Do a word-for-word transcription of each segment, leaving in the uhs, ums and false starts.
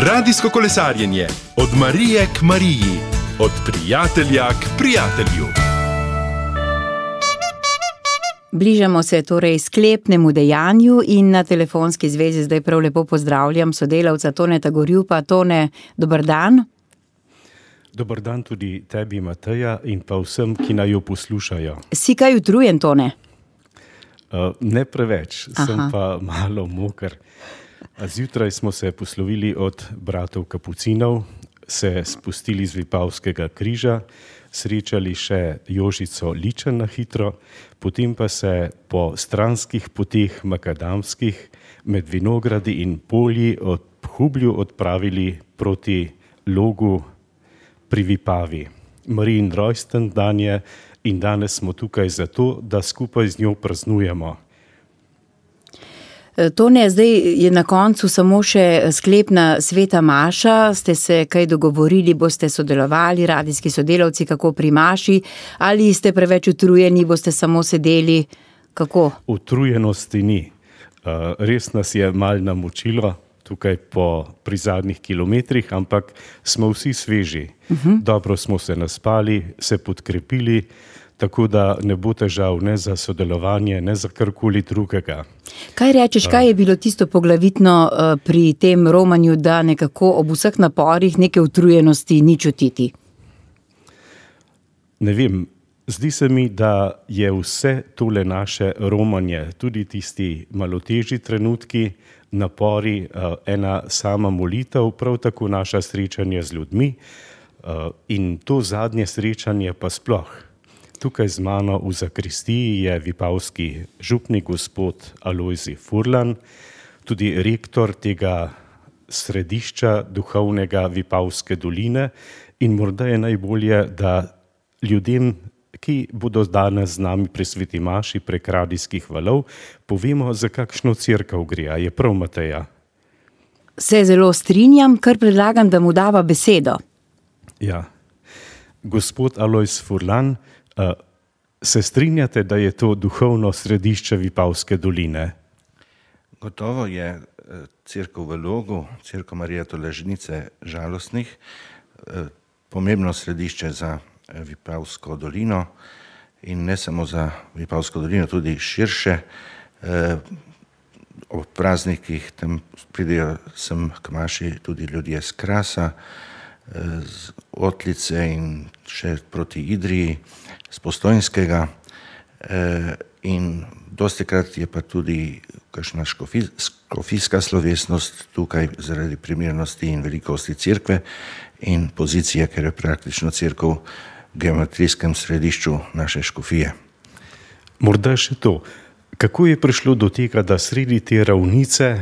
Radijsko kolesarjenje od Marije k Mariji, od prijatelja k prijatelju. Bližamo se torej sklepnemu dejanju in na telefonski zvezi zdaj prav lepo pozdravljam sodelavca Toneta Gorjupa. Tone, dober dan. Dober dan tudi tebi, Mateja, in pa vsem, ki naj jo poslušajo. Si kaj utrujen, Tone? Uh, ne preveč, Aha. sem pa malo moker. Zjutraj smo se poslovili od bratov Kapucinov, se spustili z Vipavskega križa, srečali še Jožico Ličen na hitro, potem pa se po stranskih poteh makadamskih med vinogradi in polji od Hublju odpravili proti Logu pri Vipavi. Marijin rojsten dan je in danes smo tukaj zato, da skupaj z njo praznujemo. Tone, zdaj je na koncu samo še sklepna sveta maša. Ste se kaj dogovorili, boste sodelovali, radijski sodelavci, kako pri maši, ali ste preveč utrujeni, boste samo sedeli, kako? Utrujenosti ni. Res nas je malo namočilo tukaj po, pri zadnjih kilometrih, ampak smo vsi sveži. Uh-huh. Dobro smo se naspali, se podkrepili, tako da ne bo težav ne za sodelovanje, ne za karkoli drugega. Kaj rečeš, kaj je bilo tisto poglavitno pri tem romanju, da nekako ob vseh naporih neke utrujenosti ni čutiti? Ne vem, zdi se mi, da je vse tole naše romanje, tudi tisti malo težji trenutki, napori, ena sama molitev, prav tako naša srečanje z ljudmi in to zadnje srečanje pa sploh. Tukaj z mano v zakristiji je vipavski župnik gospod Alojzij Furlan, tudi rektor tega središča duhovnega Vipavske doline in morda je najbolje, da ljudem, ki bodo danes z nami pri sveti maši prek radijskih valov, povemo, za kakšno cerkev gre. Je prav, Mateja? Se zelo strinjam, kar predlagam, da mu dava besedo. Ja. Gospod Alojzij Furlan, se strinjate, da je to duhovno središče Vipavske doline? Gotovo je cerkev v Logu, cerkev Marije Tolažnice žalostnih, pomembno središče za Vipavsko dolino in ne samo za Vipavsko dolino, tudi širše. Ob praznikih tam pridejo sem k maši tudi ljudje z Krasa, z Otlice in še proti Idriji, z Postojnskega in dostikrat je pa tudi kakšna škofijska slovesnost tukaj zaradi primernosti in velikosti cerkve in pozicije, ker je praktično cerkev v geometrijskem središču naše škofije. Morda še to, kako je prišlo do tega, da sredi te ravnice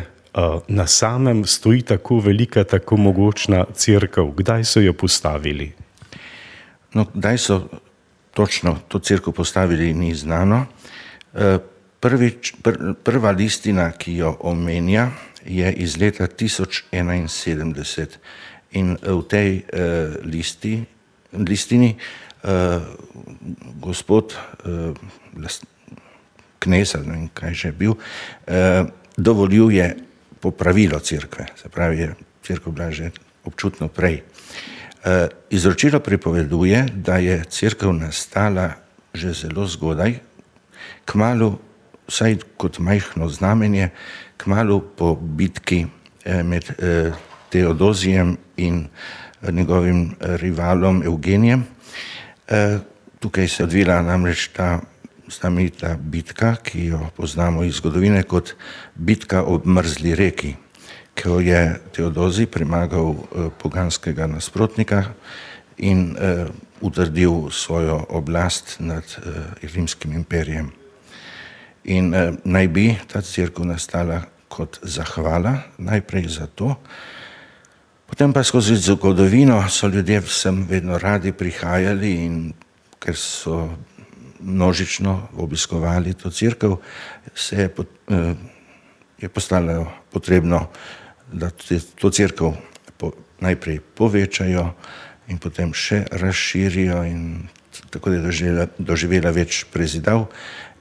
na samem stoji tako velika, tako mogočna cerkev? Kdaj so jo postavili? No, kdaj so točno to cerkev postavili, ni znano. Prvič, pr, prva listina, ki jo omenja, je iz leta tisoč enainsedemdeset in v tej uh, listi, listini uh, gospod uh, last, knes, ne vem, kaj že bil, uh, dovoljuje popravilo cerkve, se pravi, je cerkev bila že občutno prej. Uh, izročilo pripoveduje, da je cerkev nastala že zelo zgodaj, kmalu, vsaj kot majhno znamenje, kmalu po bitki eh, med eh, Teodozijem in eh, njegovim rivalom Evgenijem. Eh, tukaj se odvila namreč ta znamenita bitka, ki jo poznamo iz zgodovine kot bitka ob mrzli reki, ko je Teodozij premagal eh, poganskega nasprotnika in eh, utrdil svojo oblast nad eh, rimskim imperijem. In eh, naj bi ta cerkev nastala kot zahvala, najprej za to, potem pa skozi zgodovino so ljudje vsem vedno radi prihajali in ker so množično obiskovali to cerkev, se je, eh, je postalo potrebno, da to cerkev po, najprej povečajo in potem še razširijo in tako da je doživela, doživela več prezidav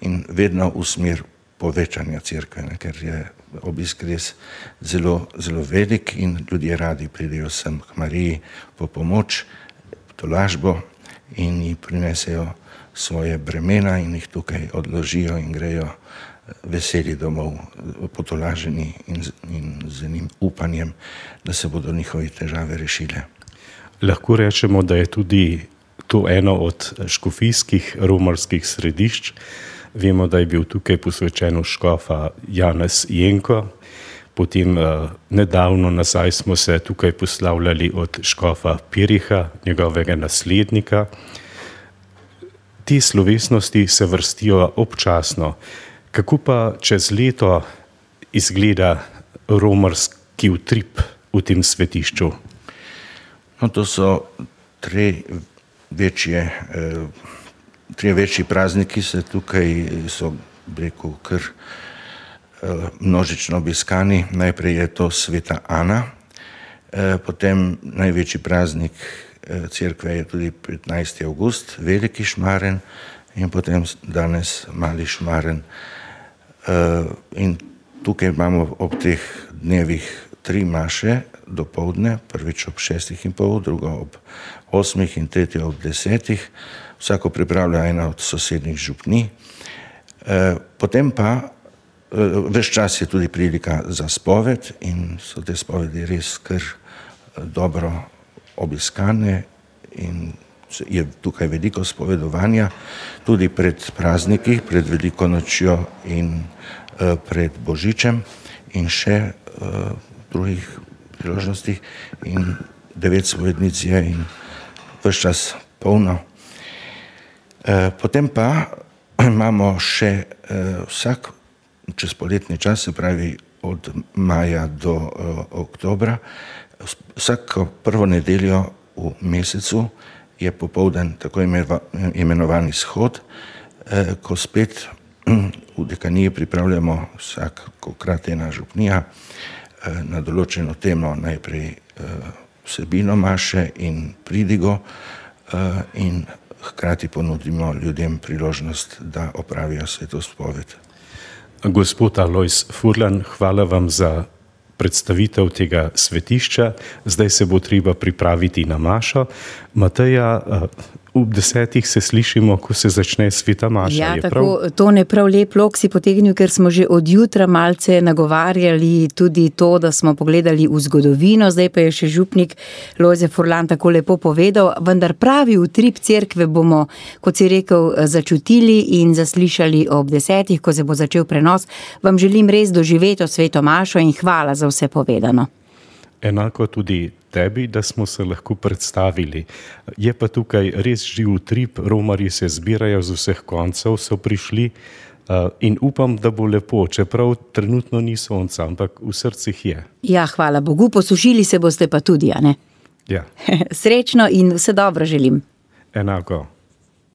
in vedno v smer povečanja cerkve, ne, ker je obisk res zelo, zelo velik in ljudje radi pridejo sem k Mariji po pomoč, tolažbo in ji prinesejo svoje bremena in jih tukaj odložijo in grejo veseli domov, potolaženi in, in z enim upanjem, da se bodo njihove težave rešile. Lahko rečemo, da je tudi to eno od škofijskih romarskih središč. Vemo, da je bil tukaj posvečen škofa Janez Jenko, potem eh, nedavno nazaj smo se tukaj poslavljali od škofa Piriha, njegovega naslednika. Te slovesnosti se vrstijo občasno. Kako pa čez leto izgleda romarski utrip v tem svetišču? No, to so tri večje eh, Tri večji prazniki se tukaj so, rekel, kar množično obiskani. Najprej je to sveta Ana, potem največji praznik cerkve je tudi petnajsti avgust, veliki šmaren in potem danes mali šmaren. In tukaj imamo ob teh dnevih tri maše dopoldne, prvič ob šestih in pol, drugo ob osmih in tretjo ob desetih. Vsako pripravlja ena od sosednjih župni. E, potem pa e, ves čas je tudi prilika za spoved in so te spovedi res kar dobro obiskane in je tukaj veliko spovedovanja, tudi pred prazniki, pred Veliko nočjo in e, pred Božičem in še e, drugih priložnostih in devet spovednic je in ves čas polno. Potem pa imamo še vsak čez poletni čas, se pravi od maja do oktobra, vsako prvo nedeljo v mesecu je popoldan tako imenovani shod, ko spet v dekaniji pripravljamo vsakokrat ena župnija na določeno temo, najprej vsebino maše in pridigo in hkrati ponudimo ljudem priložnost, da opravijo svetospoved. Gospod Alojz Furlan, hvala vam za predstavitev tega svetišča. Zdaj se bo treba pripraviti na mašo. Mateja, ob desetih se slišimo, ko se začne sveta maša. Ja, tako, to ne prav lep lok si potegnil, ker smo že od jutra malce nagovarjali tudi to, da smo pogledali v zgodovino, zdaj pa je še župnik Lojze Furlan tako lepo povedal, vendar pravi utrip cerkve bomo, kot si rekel, začutili in zaslišali ob desetih, ko se bo začel prenos. Vam želim res doživeto sveto mašo in hvala za vse povedano. Enako tudi tebi, da smo se lahko predstavili. Je pa tukaj res živ utrip, romarji se zbirajo z vseh koncev, so prišli in upam, da bo lepo, čeprav trenutno ni sonca, ampak v srcih je. Ja, hvala Bogu, posušili se boste pa tudi, a ne? Ja. Srečno in vse dobro želim. Enako.